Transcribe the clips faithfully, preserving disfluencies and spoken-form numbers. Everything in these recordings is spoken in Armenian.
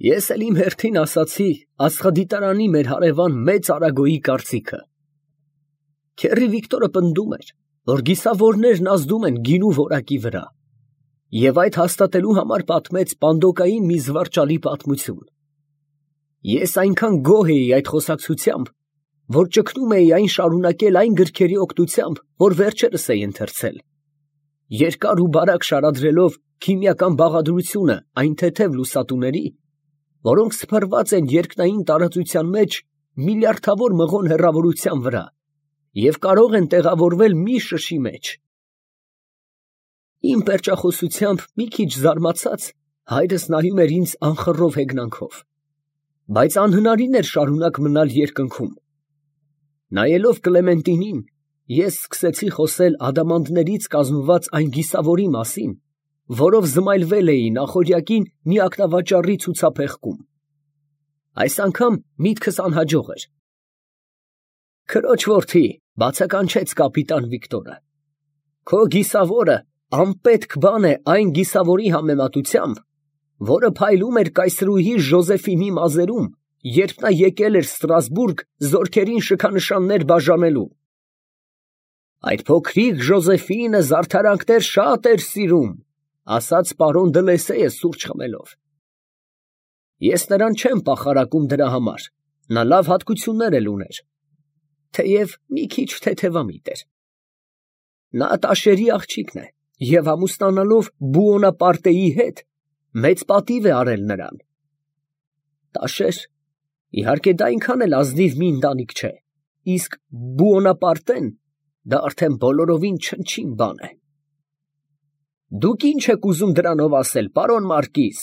Ես էլ իմ հերթին ասացի աստղադիտարանի մեր հարևան մեծ Արագոյի կարծիքը։ Քեռի Վիկտորը պնդում էր, որ գիսավորներն ազդում են գինու որակի վրա, և այդ հաստատելու համար պատմեց Պանդոկային մի զվարճալի պատմություն։ Ես այնքան գոհ էի այդ խոսակցությամբ, որ ճգնում էի այն շարունակել այն գրքերի օգնությամբ, որ վերջերս էի ընթերցել, երկար ու բարակ շարադրելով քիմիական բաղադրությունը այն թեթև լուսատուների, որոնք սփռված են երկնային տարածության մեջ միլիարդավոր մղոն հեռավորության վրա և կարող են տեղավորվել մի շշի մեջ։ Իմ պերճախոսությամբ մի քիչ զարմացած, հայրս նայում էր ինձ անխռով հեգնանքով, բայց անհնարին էր շարունակ մնալ երկնքում։ Նայելով Կլեմենտինին, ես սկսեցի խոսել ադամանդներից կազմված այն գիսավորի մասին, որով զմայլվել էի նախօրյակին մի ակնավաճառի ցուցափեղկում։ Այս անգամ միտքս անհաջող էր։ Քրոջ որդի, բացականչեց կապիտան Վիկտորը, քո գիսավորը անպետք բան է այն գիսավորի համեմատությամբ, որը փայլում էր կայսրուհի Ժոզեֆինի մազերում, երբ նա եկել էր Ստրասբուրգ զորքերին շքանշաններ բաժանելու։ Այդ փոքրիկ Ժոզեֆինը զարդարանքներ շատ էր սիրում, ասաց պարոն Դլեսեյը սուրճ խմելով։ Ես նրան չեմ պախարակում դրա համար, նա լավ հատկություններ էլ ուներ, թեև մի քիչ թեթևամիտ էր։ Նա տաշերի աղջիկն է և ամուսնանալով Բուոնապարտեի հետ մեծ պատիվ է արել նրան։ Տաշեր, իհարկե դա այնքան էլ ազնիվ մի ընտանիք չէ, իսկ Բուոնապարտեն դա արդեն բոլորովին չնչին բան է։ Դուք ի՞նչ եք ուզում դրանով ասել, պարոն մարկիզ,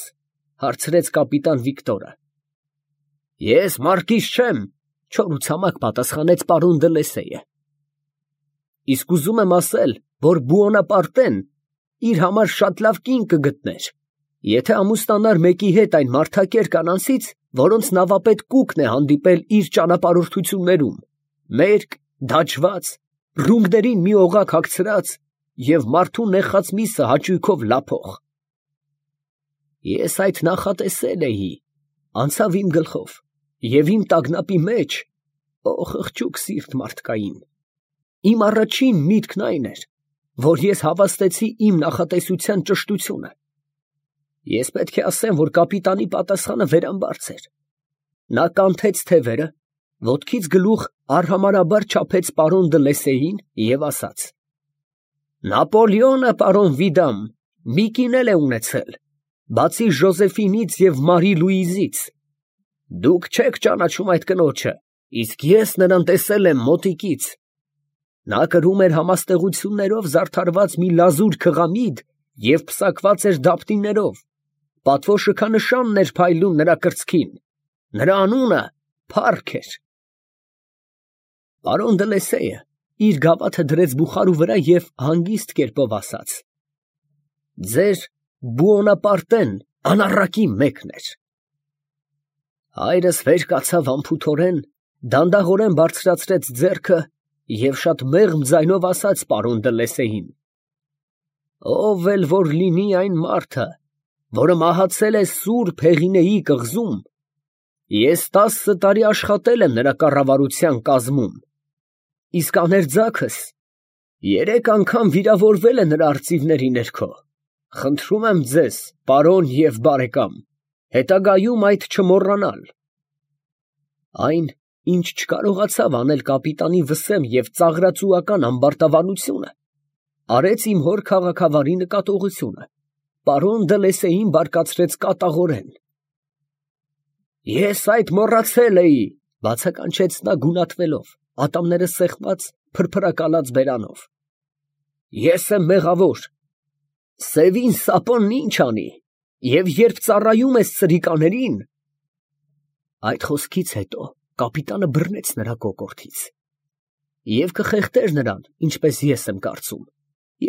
հարցրեց կապիտան Վիկտորը։ Ես մարկիզ չեմ, չորուցամակ պատասխանեց պարոն Դլեսեյը։ Իսկ ուզում եմ ասել, որ Բուոնապարտեն իր համար շատ լավ կին կգտներ, եթե ամուսնանար մեկի հետ այն մարդակեր կանանցից, որոնց նավապետ Կուկն է հանդիպել իր ճանապարհորդություններում, մերկ, դաջված, ռումբներին մի օղակ հագցրած և մարդու նեխած միսը հաճույքով լափող։ Ես այդ նախատեսել էի, անցավ իմ գլխով, և իմ տագնապի մեջ, օ խղճուկ սիրտ մարդկային, իմ առաջին միտքն այն էր, որ ես հավաստեցի իմ նախատեսության ճշտությունը։ Ես պետք է ասեմ, որ կապիտանի պատասխանը վերամբարձ էր։ Նա կանթեց թևերը, ոտքից գլուխ արհամարհաբար չափեց պարոն Դլեսեյին և ասաց. Նապոլեոնը, պարոն Վիդամ, մի կին էլ է ունեցել, բացի Ժոզեֆինից և Մարի Լուիզից։ Դուք չեք ճանաչում այդ կնոջը, իսկ ես նրան տեսել եմ մոտիկից։ Նա կրում էր համաստեղություններով զարդարված մի լազուր քղամիդ և պսակված էր դապտիներով, պատվո շքանշանն էր փայլում նրա կրծքին, նրա անունը Փառք էր։ Պարոն Դլեսեյը իր գավաթը դրեց բուխարու վրա և հանգիստ կերպով ասաց. Ձեր Բուոնապարտեն անառակի մեկն էր։ Հայրս վեր կացավ անփութորեն, դանդաղորեն բարձրացրեց ձեռքը և շատ մեղմ ձայնով ասաց պարոն Դլեսեյին. Ով էլ որ լինի այն մարդը, որը մահացել է Սուրբ Հեղինեի կղզում, ես տասը տարի աշխատել եմ նրա կառավարության կազմում, իսկ աներձակս երեք անգամ վիրավորվել է նրա արծիվների ներքո։ Խնդրում եմ ձեզ, պարոն և բարեկամ, հետագայում այդ չմոռանալ։ Այն, ինչ չկարողացավ անել կապիտանի վսեմ և ծաղրածուական ամբարտավանությունը, արեց իմ հոր քաղաքավարի նկատողությունը, պարոն Դլեսեյին բարկացրեց կատաղորեն։ Ես այդ մոռացել էի, բացականչեց նա գունատվելով, ատամները սեղմած, փրփրակալած բերանով։ Ես եմ մեղավոր։ Սևին սապոնն ինչ անի, և երբ ծառայում ես սրիկաներին… Այդ խոսքից հետո կապիտանը բռնեց նրա կոկորդից և կխեղդեր նրան, ինչպես ես եմ կարծում,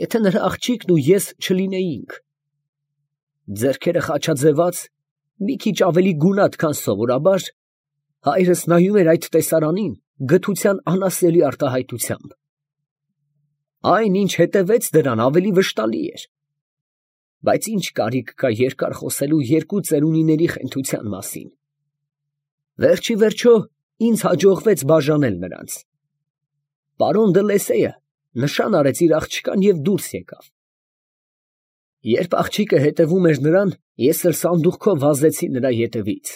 եթե նրա աղջիկն ու ես չլինեինք։ Ձեռքերը խաչաձևած, մի քիչ ավելի գունատ, քան սովորաբար, հայրս նայում էր այդ տեսարանին գթության անասելի արտահայտությամբ։ Այն, ինչ հետևեց դրան, ավելի վշտալի էր։ բայց ինչ կարիք կա երկար խոսելու երկու ծերունիների խենթության մասին։ Վերջի վերջո ինձ հաջողվեց բաժանել նրանց։ Պարոն Դլեսեյը նշան արեց իր աղջկան և դուրս եկավ։ Երբ աղջիկը հետևում էր նրան, ես էլ սանդուղքով վազեցի նրա ետևից։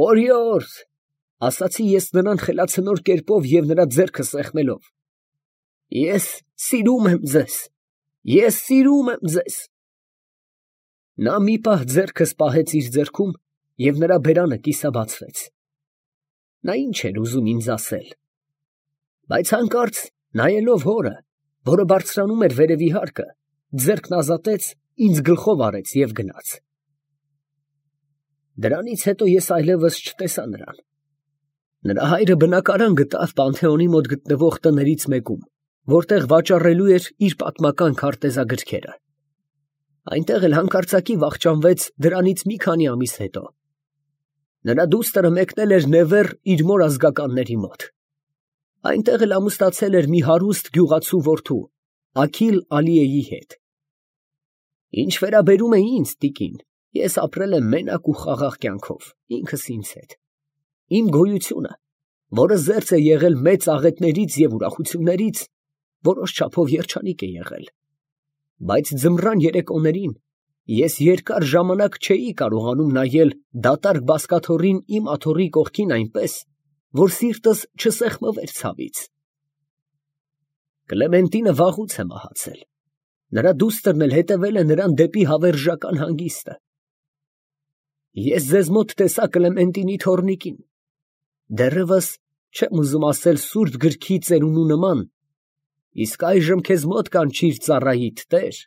«Օրիորդ», ասացի ես նրան խելացնոր կերպով և նրա ձեռքը սեղմելով, «ես սիրում եմ ձեզ, ես սիրում եմ ձեզ»։ Նա մի պահ ձեռքս պահեց իր ձեռքում և նրա բերանը կիսաբացվեց։ Նա ինչ էր ուզում ինձ ասել, բայց հանկարծ նայելով հորը, որը բարձրանում էր վերևի հարկը, ձեռքն ազատեց, ինձ գլխով արեց և գնաց։ Դրանից հետո ես այլևս չտեսա նրան։ Նրա հայրը բնակարան գտավ Պանթեոնի մոտ գտնվող տներից մեկում, որտեղ վաճառելու էր իր պատմական քարտեզագրքերը։ Այնտեղ էլ հանկարծակի վախճանվեց դրանից մի քանի ամիս հետո։ Նրա դուստրը մեկնել էր Նևեռ իր մոր ազգականների մոտ։ Այնտեղ էլ ամուսնացել էր մի հարուստ գյուղացու որդու, Աքիլ Ալիեի հետ։ Ինչ վերաբերում է ինձ, տիկին, ես ապրել եմ մենակ ու խաղաղ կյանքով, ինքս ինձ հետ։ Իմ գոյությունը, որը զերծ է եղել մեծ աղետներից և ուրախություններից, որոշ չափով երջանիկ է եղել, բայց ձմռան երեկոներին ես երկար ժամանակ չէի կարողանում նայել դատարկ բազկաթոռին իմ աթոռի կողքին այնպես, որ սիրտս չսեղմվեր ցավից։ Կլեմենտինը վաղուց է մահացել, նրա դուստրն էլ հետևել է նրան դեպի հավերժական հանգիստը։ Ես ձեզ մոտ տեսա Կլեմենտինի թոռնիկին, դեռևս չեմ ուզում ասել սուրբ գրքի ծերունու նման, իսկ այժմ քեզ մոտ կանչիր ծառայիդ տեր։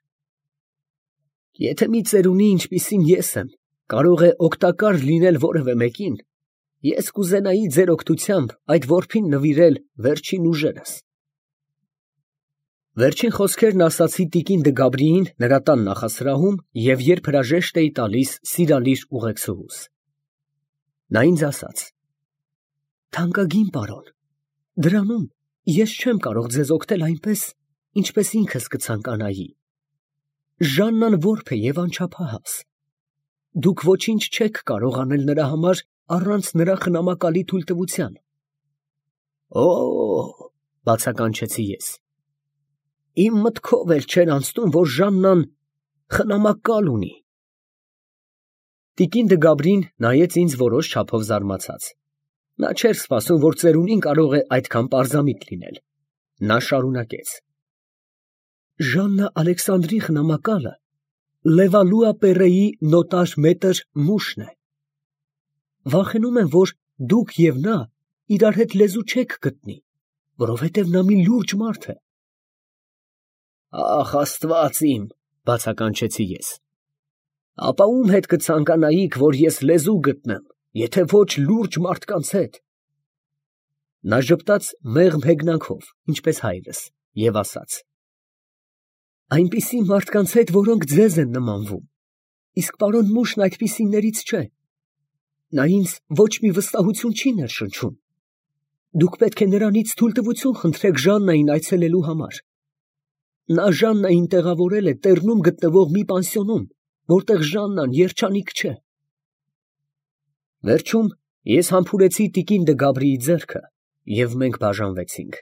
Եթե մի ծերունի, ինչպիսին ես եմ, կարող է օգտակար լինել որևէ մեկին, ես կուզենայի ձեր օգնությամբ այդ որբին նվիրել վերջին ուժերս։ Վերջին խոսքերն ասացի տիկին Դը Գաբրիին նրա տան նախասրահում և երբ հրաժեշտ էի տալիս սիրալիր ուղեկցուհուս։ Նա ինձ ասաց. «Թանկագին պարոն, դրանում ես չեմ կարող ձեզ օգնել այնպես, ինչպես ինքս կցանկանայի։ Ժաննան որբ է և անչափահաս։ Դուք ոչինչ չեք կարող անել նրա համար առանց նրա խնամակալի թույլտվության»։ «Օ՜օ», բացականչեցի ես, «իմ մտքով էլ չէր անցնում, որ Ժաննան խնամակալ ունի»։ Տիկին Դը Գաբրին նայեց ինձ որոշ չափով զարմացած։ Նա չէր սպասում, որ ծերունին կարող է այդքան պարզամիտ լինել։ Նա շարունակեց. «Ժաննա Ալեքսանդրի խնամակալը Լևալուա Պեռեի նոտար մետր Մուշն է։ Վախենում եմ, որ դուք և նա իրար հետ լեզու չեք գտնի, որովհետև նա մի լուրջ մարդ է»։ «Ախ, Աստված իմ», բացականչեցի ես, «ապա ում հետ կցանկանայիք, որ ես լեզու գտնեմ, եթե ոչ լուրջ մարդկանց հետ»։ Նա ժպտաց մեղմ հեգնանքով, ինչպես հայրս, և ասաց. «Այնպիսի մարդկանց հետ, որոնք ձեզ են նմանվում, իսկ պարոն Մուշն այդպիսիներից չէ. նա ինձ ոչ մի վստահություն չի ներշնչում։ Դուք պետք է նրանից թույլտվություն խնդրեք Ժաննային այցելելու համար։ Նա Ժաննային տեղավորել է Տեռնում գտնվող մի պանսիոնում, որտեղ Ժաննան երջանիկ չէ»։ Վերջում ես համբուրեցի տիկին Դը Գաբրիի ձեռքը, և մենք բաժանվեցինք։